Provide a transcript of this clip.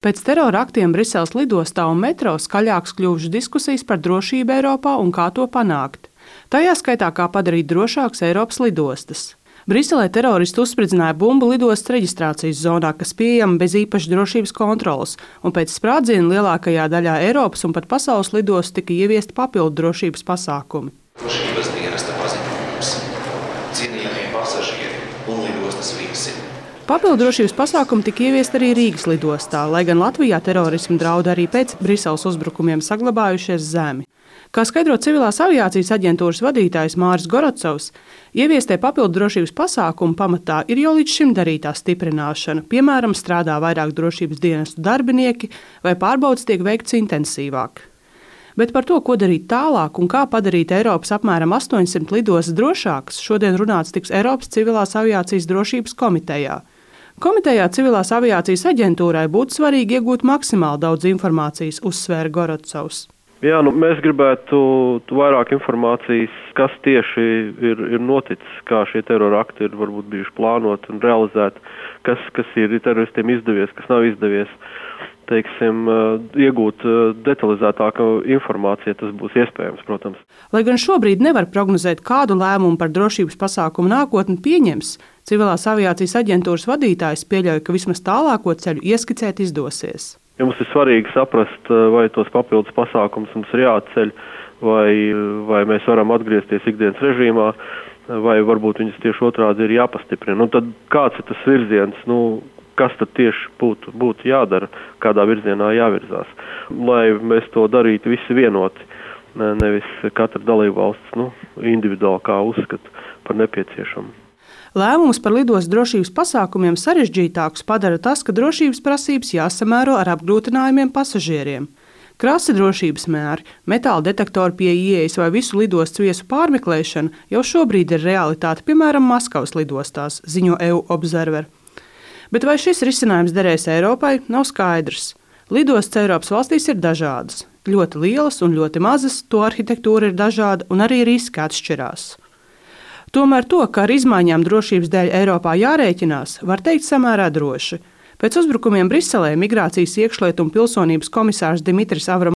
Pēc terora aktiem Briseles lidostā un metro skaļāks kļuvušas diskusijas par drošību Eiropā un kā to panākt. Tajā skaitā, kā padarīt drošākas Eiropas lidostas. Briselē teroristi uzspridzināja bumbu lidostas reģistrācijas zonā, kas pieejama bez īpašas drošības kontroles, un pēc sprādziena lielākajā daļā Eiropas un pat pasaules lidostu tika ieviesti papildu drošības pasākumi. Drošības dienesta paziņojums. Cienījamie pasažieri un lidostas viesi. Papildu drošības pasākumi tika ieviesti arī Rīgas lidostā, lai gan Latvijā terorisma draudi arī pēc Briseles uzbrukumiem saglabājušies zemi. Kā skaidro civilās aviācijas aģentūras vadītājs Māris Gorotsovs, ieviestie papildu drošības pasākumu pamatā ir jau līdz šim darītā stiprināšana, piemēram, strādā vairāk drošības dienestu darbinieki vai pārbaudes tiek veikts intensīvāk. Bet par to, ko darīt tālāk un kā padarīt Eiropas apmēram 800 lidostas drošākas, šodien runāts tiks Eiropas civilās aviācijas drošības komitejā. Komitejā civilās aviācijas aģentūrai būtu svarīgi iegūt maksimāli daudz informācijas, uzsvēra Gorotsovs. Jā, mēs gribētu vairāk informācijas, kas tieši ir noticis, kā šie terora akti ir varbūt bijuši plānoti un realizēti, kas ir teroristiem izdevies, kas nav izdevies. Teiksim, iegūt detalizētāku informāciju, tas būs iespējams, protams. Lai gan šobrīd nevar prognozēt, kādu lēmumu par drošības pasākumu nākotni pieņems, civilās aviācijas aģentūras vadītājs pieļauj, ka vismaz tālāko ceļu ieskicēt izdosies. Ja mums ir svarīgi saprast, vai tos papildus pasākumus mums ir jāatceļ, vai mēs varam atgriezties ikdienas režīmā, vai varbūt viņas tieši otrādi ir jāpastiprina. Un tad kāds ir tas virziens, kas tad tieši būtu jādara, kādā virzienā jāvirzās, lai mēs to darītu visi vienoti, nevis katra dalībvalsts individuāli kā uzskata par nepieciešamu. Lēmumus par lidostas drošības pasākumiem sarežģītākus padara tas, ka drošības prasības jāsamēro ar apgrūtinājumiem pasažieriem. Krasi drošības mēri, metāla detektori pie ieejas vai visu lidostas viesu pārmeklēšana jau šobrīd ir realitāte, piemēram, Maskavas lidostās, ziņo EU Observer. Bet vai šis risinājums derēs Eiropai, nav skaidrs. Lidostas Eiropas valstīs ir dažādas, ļoti lielas un ļoti mazas, to arhitektūra ir dažāda un arī riski atšķirās. Tomēr to, ka ar izmaiņām drošības dēļ Eiropā jārēķinās, var teikt samērā droši. Pēc uzbrukumiem Briselē migrācijas, iekšlietu un pilsonības komisārs Dimitris Avramopulos